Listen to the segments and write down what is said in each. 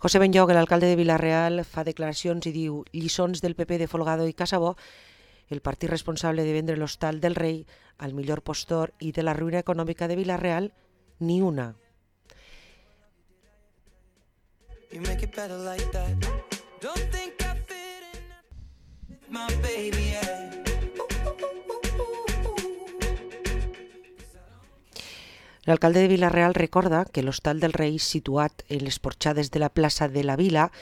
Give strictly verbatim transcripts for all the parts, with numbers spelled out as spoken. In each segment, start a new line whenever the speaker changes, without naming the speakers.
José Benlloc, l'alcalde de Vila-real, fa declaracions i diu: lliçons del P P de Folgado i Casabó, el partit responsable de vendre l'Hostal del Rei al millor postor i de la ruïna econòmica de Vila-real, ni una. You make it better like that. Don't think I fit in my baby, yeah. L'alcalde de Vila-real recorda que l'Hostal del Rei, situat en les porxades de la plaça de la Vila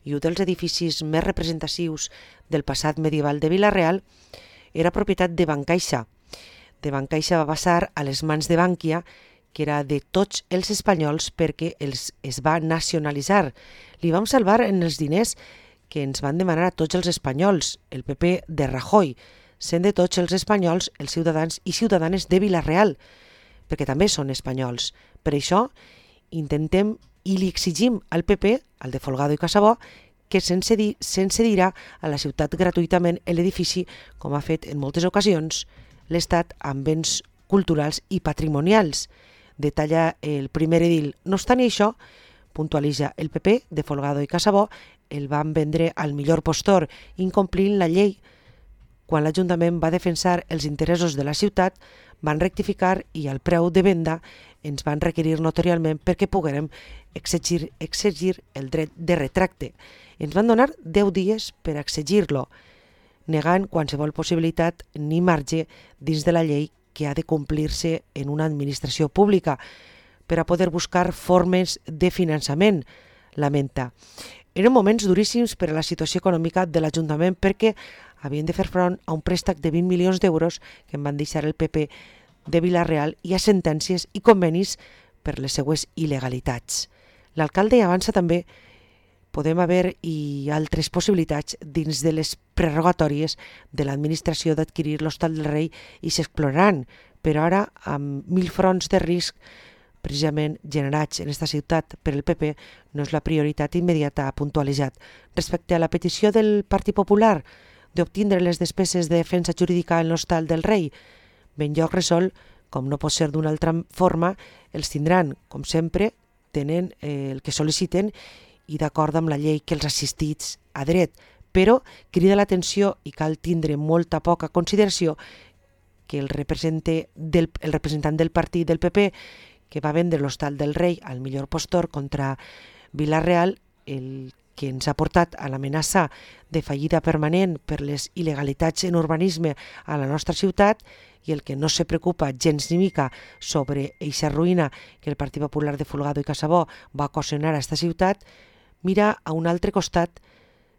i un dels edificis més representatius del passat medieval de Vila-real, era propietat de Bancaixa. De Bancaixa va passar a les mans de Bankia, que era de tots els espanyols perquè els es va nacionalitzar. Li vam salvar en els diners que ens van demanar a tots els espanyols, el P P de Rajoy, sent de tots els espanyols els ciutadans i ciutadanes de Vila-real, perquè també són espanyols. Per això intentem i li exigim al P P, al de Folgado i Casabó, que se'n cedirà a la ciutat gratuïtament l'edifici, com ha fet en moltes ocasions l'Estat amb béns culturals i patrimonials. Detalla el primer edil. No obstant això, puntualitza, el P P de Folgado i Casabó el van vendre al millor postor, incomplint la llei. Quan l'Ajuntament va defensar els interessos de la ciutat, van rectificar i al preu de venda ens van requerir notarialment perquè poguérem exigir, exigir el dret de retracte. Ens van donar deu dies per exigir-lo, negant qualsevol possibilitat ni marge dins de la llei que ha de complir-se en una administració pública per a poder buscar formes de finançament, lamenta. Eren moments duríssims per a la situació econòmica de l'Ajuntament perquè havien de fer front a un préstec de vint milions d'euros que en van deixar el P P de Vila-real i a sentències i convenis per les seues il·legalitats. L'alcalde avança també podem haver i altres possibilitats dins de les prerrogatòries de l'administració d'adquirir l'Hostal del Rei i s'exploraran, però ara amb mil fronts de risc precisament generats en aquesta ciutat per el P P no és la prioritat immediata, ha puntualitzat. Respecte a la petició del Partit Popular d'obtindre les despeses de defensa jurídica en l'Hostal del Rei, Benlloc resol, com no pot ser d'una altra forma, els tindran, com sempre, tenen eh, el que sol·liciten i d'acord amb la llei que els assistits a dret, però crida l'atenció i cal tindre molta poca consideració que el, del, el representant del partit del P P que va vendre l'Hostal del Rei al millor postor contra Vila-real, el que ens ha portat a l'amenaça de fallida permanent per les il·legalitats en urbanisme a la nostra ciutat i el que no se preocupa gens ni mica sobre eixa ruïna que el Partit Popular de Folgado i Casabó va ocasionar a esta ciutat, mira a un altre costat,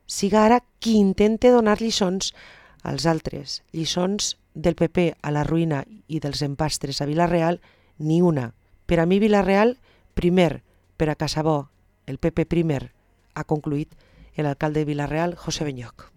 siga ara qui intente donar lliçons als altres. Lliçons del P P a la ruïna i dels empastres a Vila-real, ni una. Per a mi Vila-real, primer, per a Casabó, el P P primer, ha concluït l'alcalde de Vila-real, José Benlloc.